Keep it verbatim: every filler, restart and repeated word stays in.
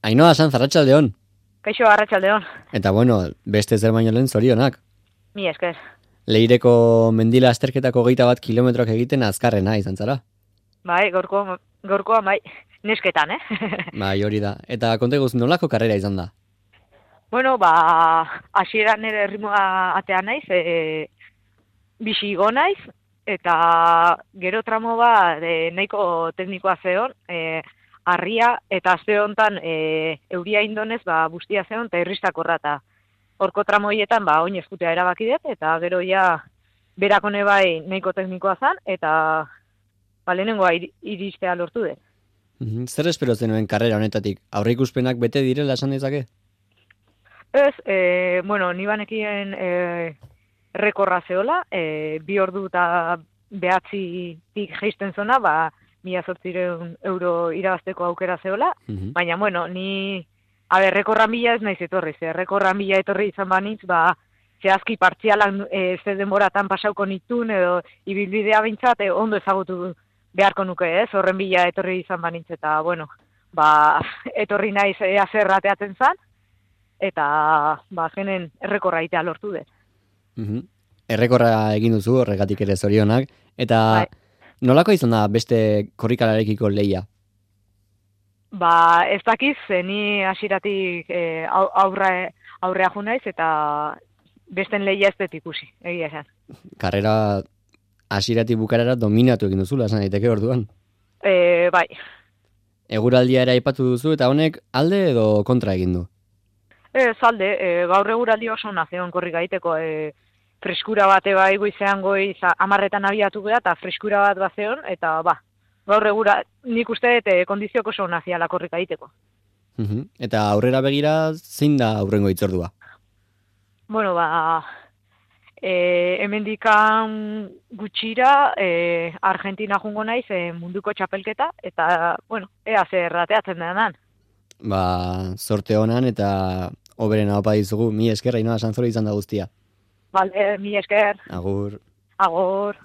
Ainhoa Sanz, arratsaldeon. Kaixo, arratsaldeon. Eta bueno, beste zer baino lehen zorionak. Mi esker. Leireko mendila azterketako geita bat kilometroak egiten azkarrena izan zara. Bai, gorko, gorkoa bai, nesketan, eh? Bai, hori da. Eta konta eguz, nolako karrera izan da? Bueno, ba, hasieran nire erritmoa atea naiz, e, bixi igo naiz, eta gero tramo ba, e, nahiko teknikoa zeon, e, harria, eta azte honetan e, euria indonez, ba, bustia zeon, eta irristakorra, eta horko tramo horietan, ba, oin eskutea erabaki dut, eta gero ja, berakone bai nahiko teknikoa zan, eta ba, lehenengoa ir, iristea lortu dut. Mm-hmm. Zer espero zenuen karrera honetatik? Aurreikuspenak bete direla esan dezake? Ez, e, bueno, ni banekien e, rekorra zeola, e, bi ordu eta behatzitik geisten zona, ba, mila zortzireun euro irabazteko aukera zeola, mm-hmm. Baina, bueno, ni, a ber, rekorran bila ez naiz etorri, ze rekorran bila etorri izan banitz, ba, zehazki partzialan e, ze denboratan pasauko nitun, edo ibilbidea bintzat, e, ondo ezagutu beharko nuke, ez, horren bila etorri izan banitz, eta, bueno, ba, etorri naiz ea zer ateatzen zan, eta ba genen errekorra itea lortu dut. Mm-hmm. Errekorra egin duzu, horregatik ere zorionak, eta bai. Nolako izan da beste korrikalarekiko lehia? Ba, ez dakiz, ni hasieratik e, aurre, aurrea jo naiz, eta besten lehia ez dut ikusi, egia esan. Karrera hasieratik bukarara dominatu egin duzula, esan daiteke orduan. E, bai. Eguraldia ere aipatu duzu, eta honek alde edo kontra egin du? Ez, alde, e, gaur eguraldi oso nazeon korrika egiteko, e, freskura bate bai goizean goiz amarretan abiatu geha, eta freskura bat bazeon, eta ba, gaur egura, nik uste dut kondizioko oso naziala korrika egiteko. Uh-huh. Eta aurrera begira, zein da aurrengo itzordua? Bueno, ba, e, hemendikan gutxira, e, Argentina jungo naiz, e, munduko txapelketa, eta, bueno, ea zer ateatzen denan. Ba, sorte honan eta oberen hau dizugu, mi esker, Ainhoa Sanz izan da guztia. Vale, mi esker. Agur. Agur.